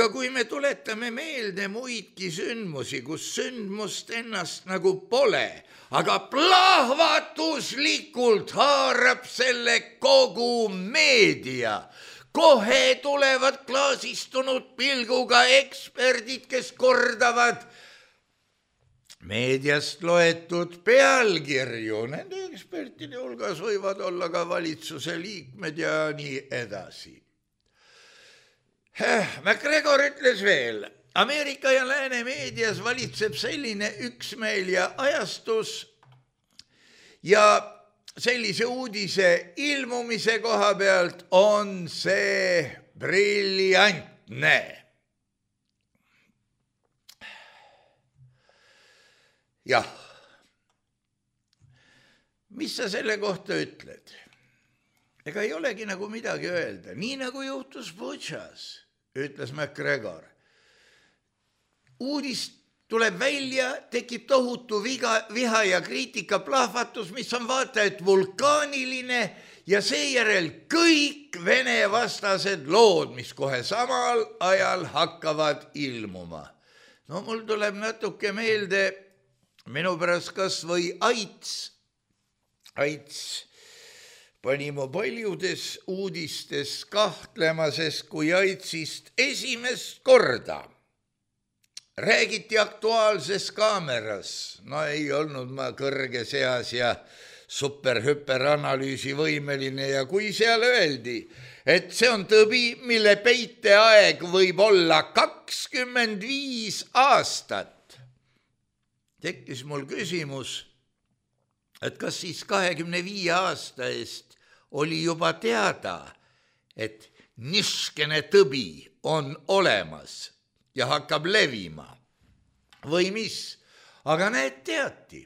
kui me tuletame meelde muidki sündmusi, kus sündmust ennast nagu pole, aga plahvatuslikult haarab selle kogu meedia, kohe tulevad klaasistunud pilguga eksperdid, kes kordavad meediast loetud pealkirju. Nende ekspertide hulgas võivad olla ka valitsuse liikmed ja nii edasi. MacGregor ütles veel, Ameerika ja lääne meedias valitseb selline üksmeel ja ajastus ja sellise uudise ilmumise koha pealt on see briljantne. Jah, mis sa selle kohta ütled? Ega ei olegi nagu midagi öelda, nii nagu juhtus Butšas, ütles MacGregor. Uudis tuleb välja, tekib tohutu viha ja kriitika plahvatus, mis on vaata et vulkaaniline ja seejärel kõik Vene vastased lood, mis kohe samal ajal hakkavad ilmuma. No mul tuleb natuke meelde minu pärast kas või Aits pani mu paljudes uudistes kahtlema, sest kui Aitsist esimest korda räägiti Aktuaalses Kaameras, no ei olnud ma kõrges eas ja super-hüperanalüüsi võimeline ja kui seal öeldi, et see on tõbi, mille peiteaeg võib olla 25 aastat, tekkis mul küsimus, et kas siis 25 aasta eest oli juba teada, et niskene tõbi on olemas ja hakkab levima või mis, aga need teati.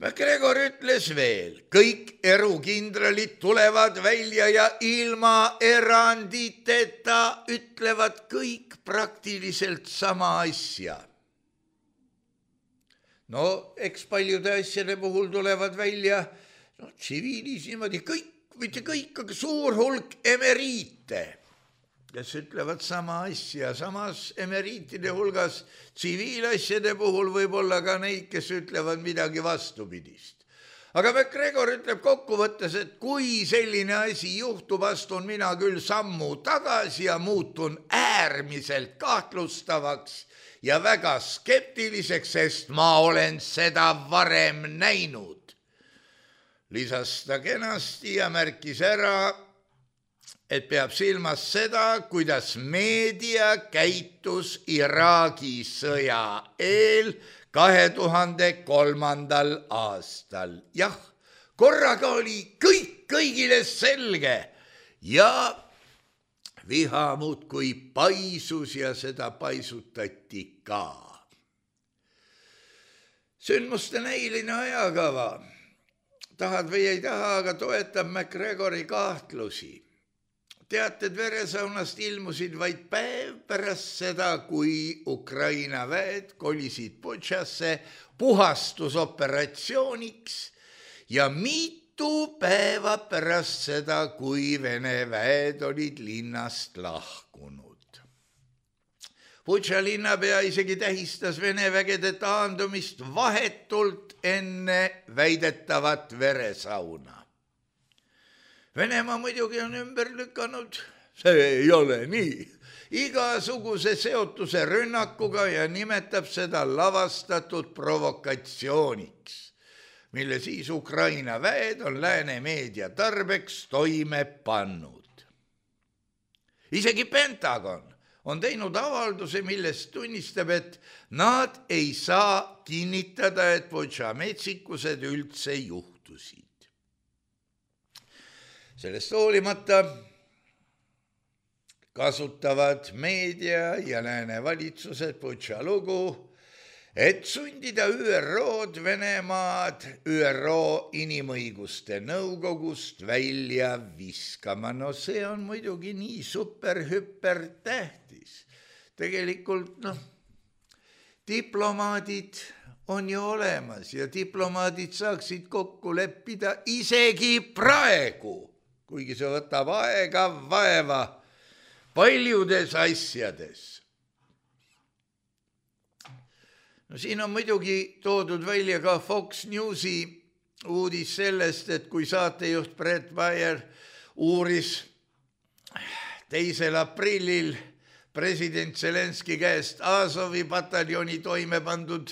MacGregor ütles veel, kõik erukindralid tulevad välja ja ilma eranditeta ütlevad kõik praktiliselt sama asja. No eks paljude asjade puhul tulevad välja, tsiviilis niimoodi kõik, mitte kõik, aga suur hulk emeriite, kes ütlevad sama asja, samas emeriitide hulgas tsiviilasjade puhul võib olla ka neid, kes ütlevad midagi vastupidist. Aga MacGregor ütleb kokkuvõttes, et kui selline asi juhtub, astun mina küll sammu tagasi ja muutun äärmiselt kahtlustavaks ja väga skeptiliseks, sest ma olen seda varem näinud. Lisas ta kenasti ja märkis ära, et peab silmas seda, kuidas meedia käitus Iraagi sõja eel 2003. aastal. Jah, korraga oli kõik kõigile selge ja viha muudkui paisus ja seda paisutati ka. Sündmuste näiline ajakava, tahad või ei taha, aga toetab MacGregori kahtlusi. Teated veresaunast ilmusid vaid päev pärast seda, kui Ukraina väed kolisid Butšasse puhastusoperatsiooniks ja mitu päeva pärast seda, kui Vene väed olid linnast lahkunud. Butša linnapea isegi tähistas Vene vägede taandumist vahetult enne väidetavat veresauna. Venemaa muidugi on ümber lükanud, see ei ole nii, igasuguse seotuse rünnakuga ja nimetab seda lavastatud provokatsiooniks, mille siis Ukraina väed on lääne meedia tarbeks toime pannud. Isegi Pentagon on teinud avalduse, millest tunnistab, et nad ei saa kinnitada, et Butša metsikused üldse juhtusid. Sellest hoolimata kasutavad meedia ja lääne valitsused Butša lugu, et sundida ÜRO-d Venemaad ÜRO Inimõiguste Nõukogust välja viskama. No see on muidugi nii super-hüper tähtis. Tegelikult diplomaadid on ju olemas ja diplomaadid saaksid kokku leppida isegi praegu, kuigi see võtab aega, vaeva paljudes asjades. No siin on muidugi toodud välja ka Fox Newsi uudis sellest, et kui saatejuht Brett Baer uuris 2. aprillil president Zelenski käest Azovi pataljoni toime pandud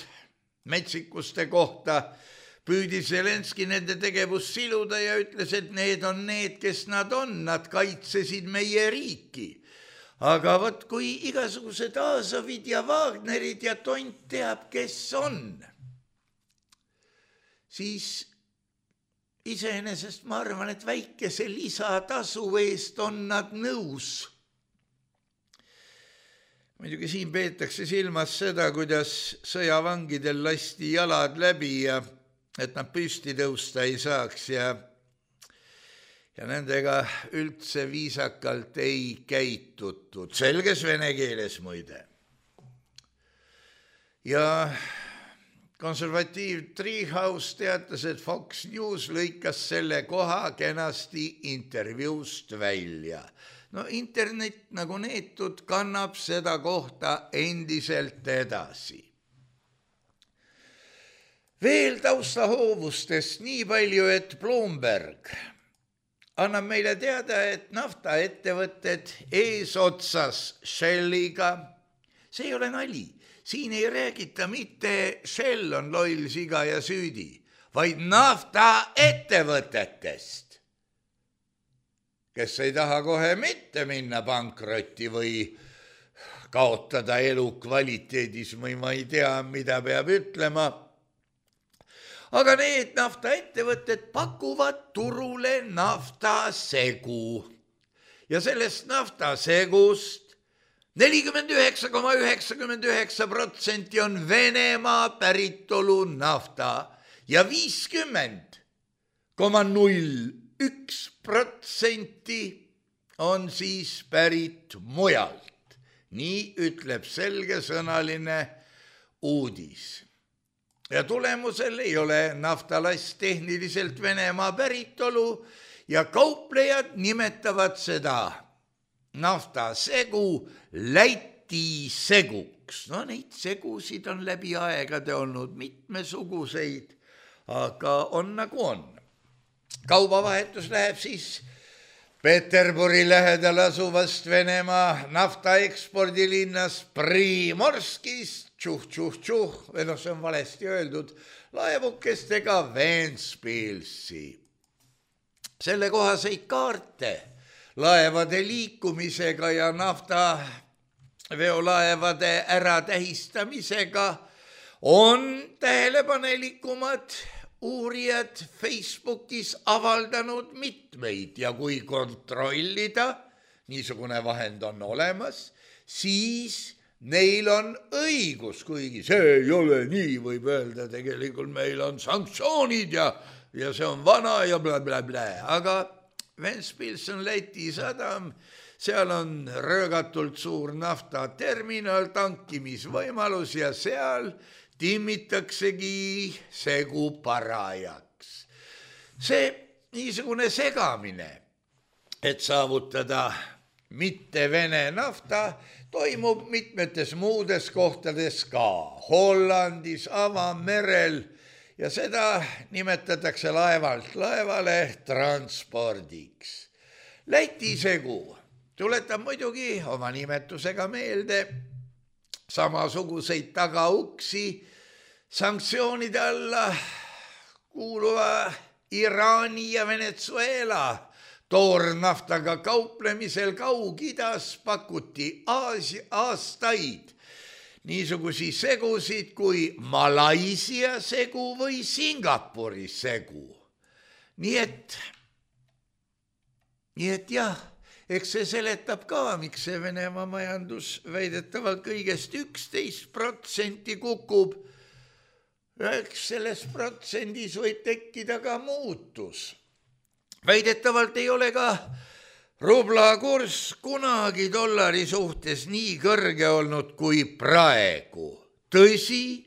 metsikuste kohta, püüdis Zelenski nende tegevust siluda ja ütles, et need on need, kes nad on, nad kaitsesid meie riiki. Aga võt, kui igasugused Azovid ja Wagnerid ja tont teab, kes on, siis iseenesest ma arvan, et väikese lisatasu eest on nad nõus. Muidugi siin peetakse silmas seda, kuidas sõjavangidel lasti jalad läbi ja et nad püsti tõusta ei saaks ja nendega üldse viisakalt ei käitutud, selges vene keeles muide. Ja konservatiiv Treehouse teatas, et Fox News lõikas selle koha kenasti intervjuust välja. No internet nagu neetud kannab seda kohta endiselt edasi. Veel taustahoovustest nii palju, et Bloomberg annab meile teada, et naftaettevõtted eesotsas Shelliga, see ei ole nali, siin ei räägita mitte Shell on loll siga ja süüdi, vaid naftaettevõtetest, kes ei taha kohe mitte minna pankrotti või kaotada elukvaliteedis või ma ei tea, mida peab ütlema. Aga need naftaettevõtted pakuvad turule naftasegu ja sellest naftasegust 49,99% on Venemaa päritolu nafta ja 50,01% on siis pärit mujalt. Nii ütleb selgesõnaline uudis. Ja tulemusel ei ole naftalast tehniliselt Venemaa päritolu ja kauplejad nimetavad seda naftasegu Läti seguks. No neid segusid on läbi aegade olnud mitmesuguseid, aga on nagu on. Kaubavahetus läheb siis Peterburi lähedal asuvast Venemaa naftaekspordilinnas Primorskist, või see on valesti öeldud, laevukestega Ventspilsi. Selle kohaseid kaarte laevade liikumisega ja naftaveolaevade äratähistamisega on tähelepanelikumad uurijad Facebookis avaldanud mitmeid ja kui kontrollida, niisugune vahend on olemas, siis neil on õigus, kuigi see ei ole nii, võib öelda, tegelikult meil on sanktsioonid ja see on vana ja blablabla, aga Ventspils on Läti sadam, seal on röögatult suur naftaterminal, tankimisvõimalus ja seal timmitaksegi segu parajaks. See niisugune segamine, et saavutada mitte Vene nafta, toimub mitmetes muudes kohtades ka, Hollandis, avamerel ja seda nimetatakse laevalt laevale transpordiks. Läti segu tuletab muidugi oma nimetusega meelde samasuguseid tagauksi sanktsioonide alla kuuluva Iraani ja Venezuela toornaftaga kauplemisel Kaug-Idas pakuti aastaid niisugusi segusid kui Malaisia segu või Singapuri segu. Nii et jah, eks see seletab ka, miks see Venemaa majandus väidetavalt kõigest 11% kukub. Eks selles protsendis võib tekkida ka muutus. Väidetavalt ei ole ka rubla kurss kunagi dollari suhtes nii kõrge olnud kui praegu. Tõsi,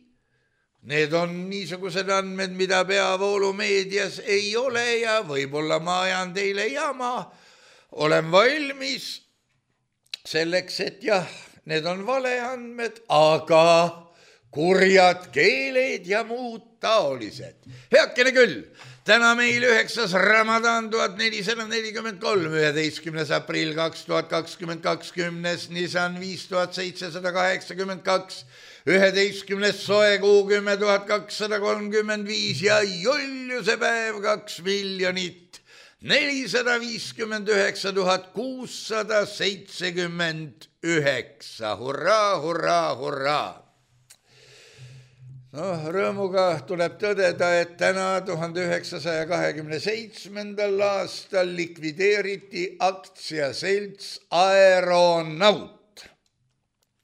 need on niisugused andmed, mida peavoolumeedias ei ole ja võib-olla ma ajan teile jama. Olen valmis selleks, et jah, need on valeandmed, aga kurjad keeled ja muud taolised. Heakene küll, täna meil 9. Ramadan 1443, 11. aprill 2022, Nisan 5782, 11. soe kuu 10 235 ja Juliuse päev 2 459 679. Hurraa, hurraa, hurraa! Rõõmuga tuleb tõdeda, et täna 1927. aastal likvideeriti aktsiaselts Aeronaut.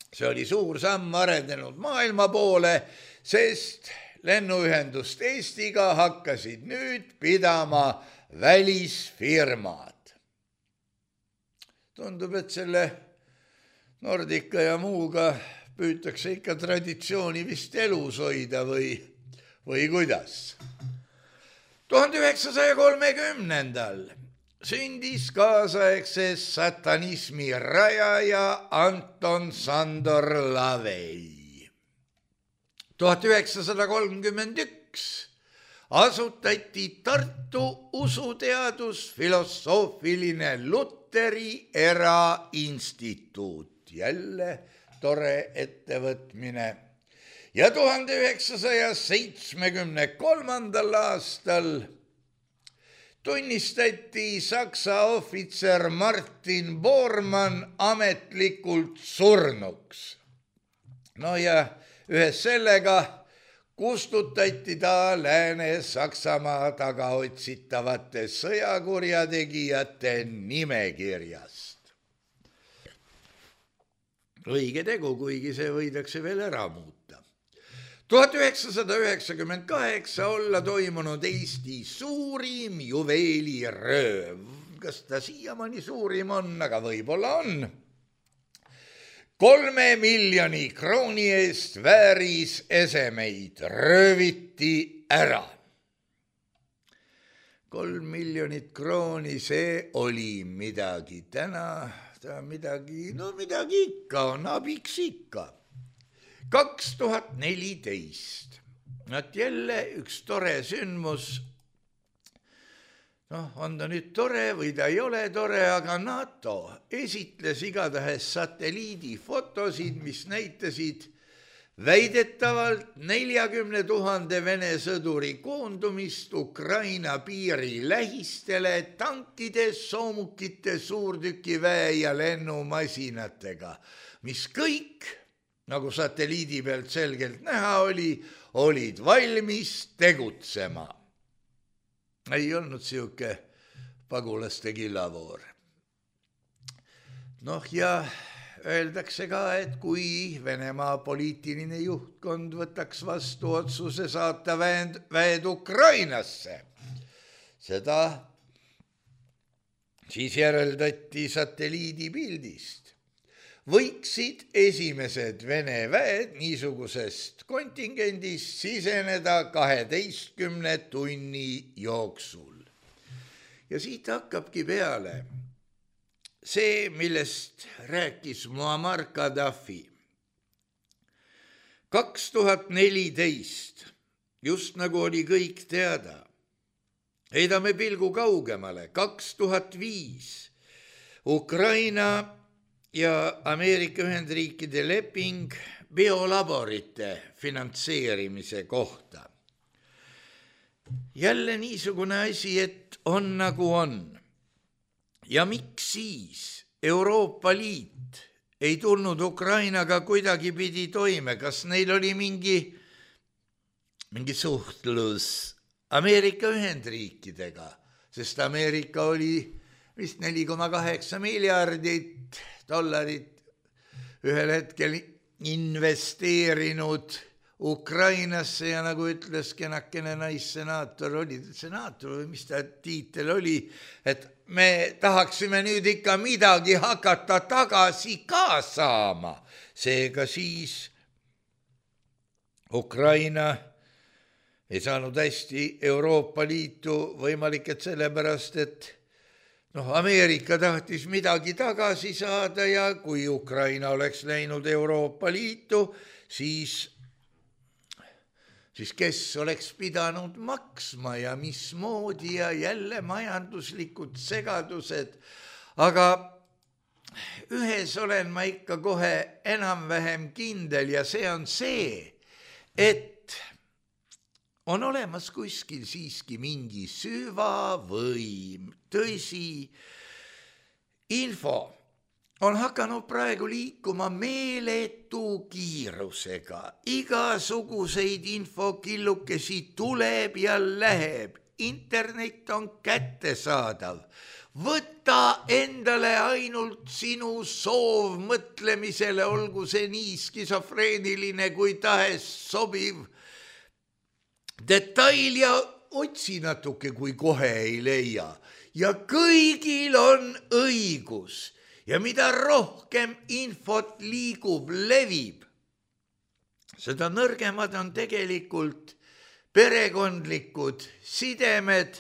See oli suur samm arenenud maailma poole, sest lennuühendust Eestiga hakkasid nüüd pidama välisfirmad. Tundub, et selle Nordica ja muuga püütakse ikka traditsiooni vist elus hoida või kuidas. 1930. sündis kaasaegse satanismi rajaja Anton Sandor Lavey. 1931 asutati Tartu usuteadusfilosoofiline Luteri erainstituut, jälle tore ettevõtmine. Ja 1973. aastal tunnistati Saksa ohvitser Martin Bormann ametlikult surnuks. No ja ühes sellega kustutati ta Lääne-Saksamaa tagaotsitavate sõjakurjategijate nimekirjast. Õige tegu, kuigi see võidakse veel ära muuta. 1998 olla toimunud Eesti suurim juveelirööv. Kas ta siiamaani suurim on, aga võib-olla on. 3 miljoni krooni eest väärisesemeid rööviti ära. 3 miljonit krooni, see oli midagi. Täna midagi ikka on, abiks ikka. 2014. Nad jälle üks tore sündmus. On ta nüüd tore või ta ei ole tore, aga NATO esitles igatahes satelliidifotosid, mis näitasid väidetavalt 40 000 Vene sõduri koondumist Ukraina piiri lähistele tankide, soomukite, suurtükiväe ja lennumasinatega, mis kõik, nagu satelliidi pealt selgelt näha oli, olid valmis tegutsema. Ei olnud siuke pagulaste killavoor. Ja öeldakse ka, et kui Venemaa poliitiline juhtkond võtaks vastu otsuse saata väed Ukrainasse, seda siis järeldati satelliidipildist. Võiksid esimesed Vene väed niisugusest kontingendist siseneda 12 tunni jooksul. Ja siit hakkabki peale see, millest rääkis Muammar Gaddafi. 2014, just nagu oli kõik teada, heidame pilgu kaugemale, 2005, Ukraina ja Ameerika Ühendriikide leping biolaborite finantseerimise kohta. Jälle niisugune asi, et on nagu on. Ja miks siis Euroopa Liit ei tulnud Ukrainaga kuidagi pidi toime? Kas neil oli mingi suhtlus Ameerika Ühendriikidega? Sest Ameerika oli vist 4,8 miljardit dollarit ühel hetkel investeerinud Ukrainasse ja nagu ütles kenakene naissenaator, oli senaator või mis ta tiitel oli, et me tahaksime nüüd ikka midagi hakata tagasi ka saama. Seega siis Ukraina ei saanud hästi Euroopa Liitu, võimalik, et sellepärast, et Ameerika tahtis midagi tagasi saada ja kui Ukraina oleks läinud Euroopa Liitu, siis kes oleks pidanud maksma ja mismoodi ja jälle majanduslikud segadused. Aga ühes olen ma ikka kohe enam-vähem kindel ja see on see, et on olemas kuskil siiski mingi süvavõim, tõsi, info on hakanud praegu liikuma meeletu kiirusega. Igasuguseid infokillukesi tuleb ja läheb. Internet on kättesaadav. Võta endale ainult sinu soov mõtlemisele, olgu see nii skisofreeniline kui tahes sobiv detail ja otsi natuke, kui kohe ei leia. Ja kõigil on õigus. Ja mida rohkem infot liigub, levib, seda nõrgemad on tegelikult perekondlikud sidemed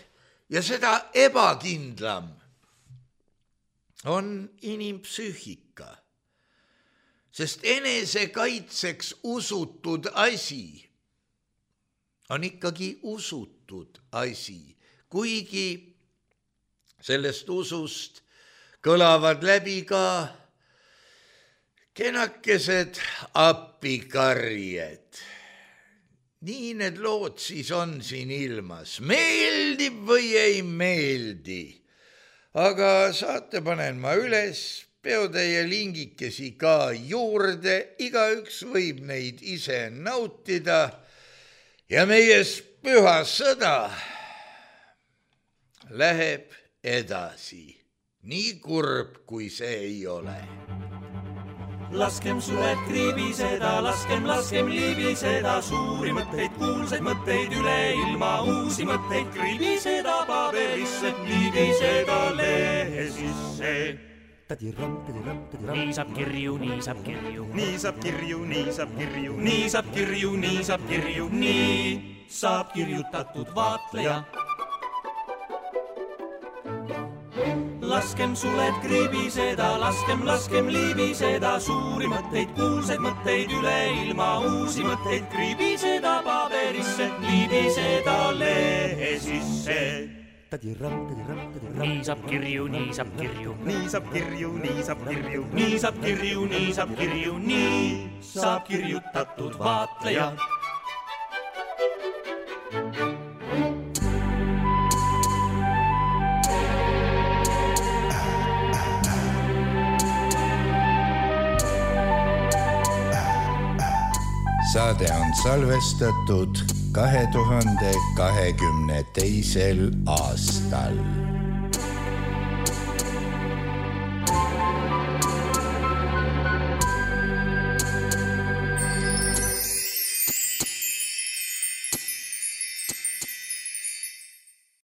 ja seda ebakindlam on inimpsüühika. Sest enesekaitseks usutud asi on ikkagi usutud asi, kuigi sellest usust kõlavad läbi ka kenakesed appikarjed. Nii need lood siis on siin ilmas. Meeldib või ei meeldi? Aga saate panen ma üles, peotäie lingikesi ka juurde, igaüks võib neid ise nautida ja meie püha sõda läheb edasi. Nii kurb, kui see ei ole. Laskem suled kriibiseda, laskem liibiseda, suuri mõtteid, kuulsaid mõtteid üle ilma, uusi mõtteid kriibiseda paberisse, liibiseda lehe sisse. Nii saab kirju, nii saab kirju. Nii saab kirju, nii saab kirju. Nii saab kirju, nii saab kirju. Nii saab kirjutatud vaatleja. Laskem suled kriibiseda, laskem liibiseda, suuri mõtteid, kuulsaid mõtteid üle ilma, uusi mõtteid kriibiseda paberisse, liibiseda lehe sisse. Nii saab kirju, nii saab kirju. Nii saab kirju, nii saab kirju. Nii saab kirju, nii saab kirju. Nii saab kirjutatud vaatleja. Saade on salvestatud 2022. aastal.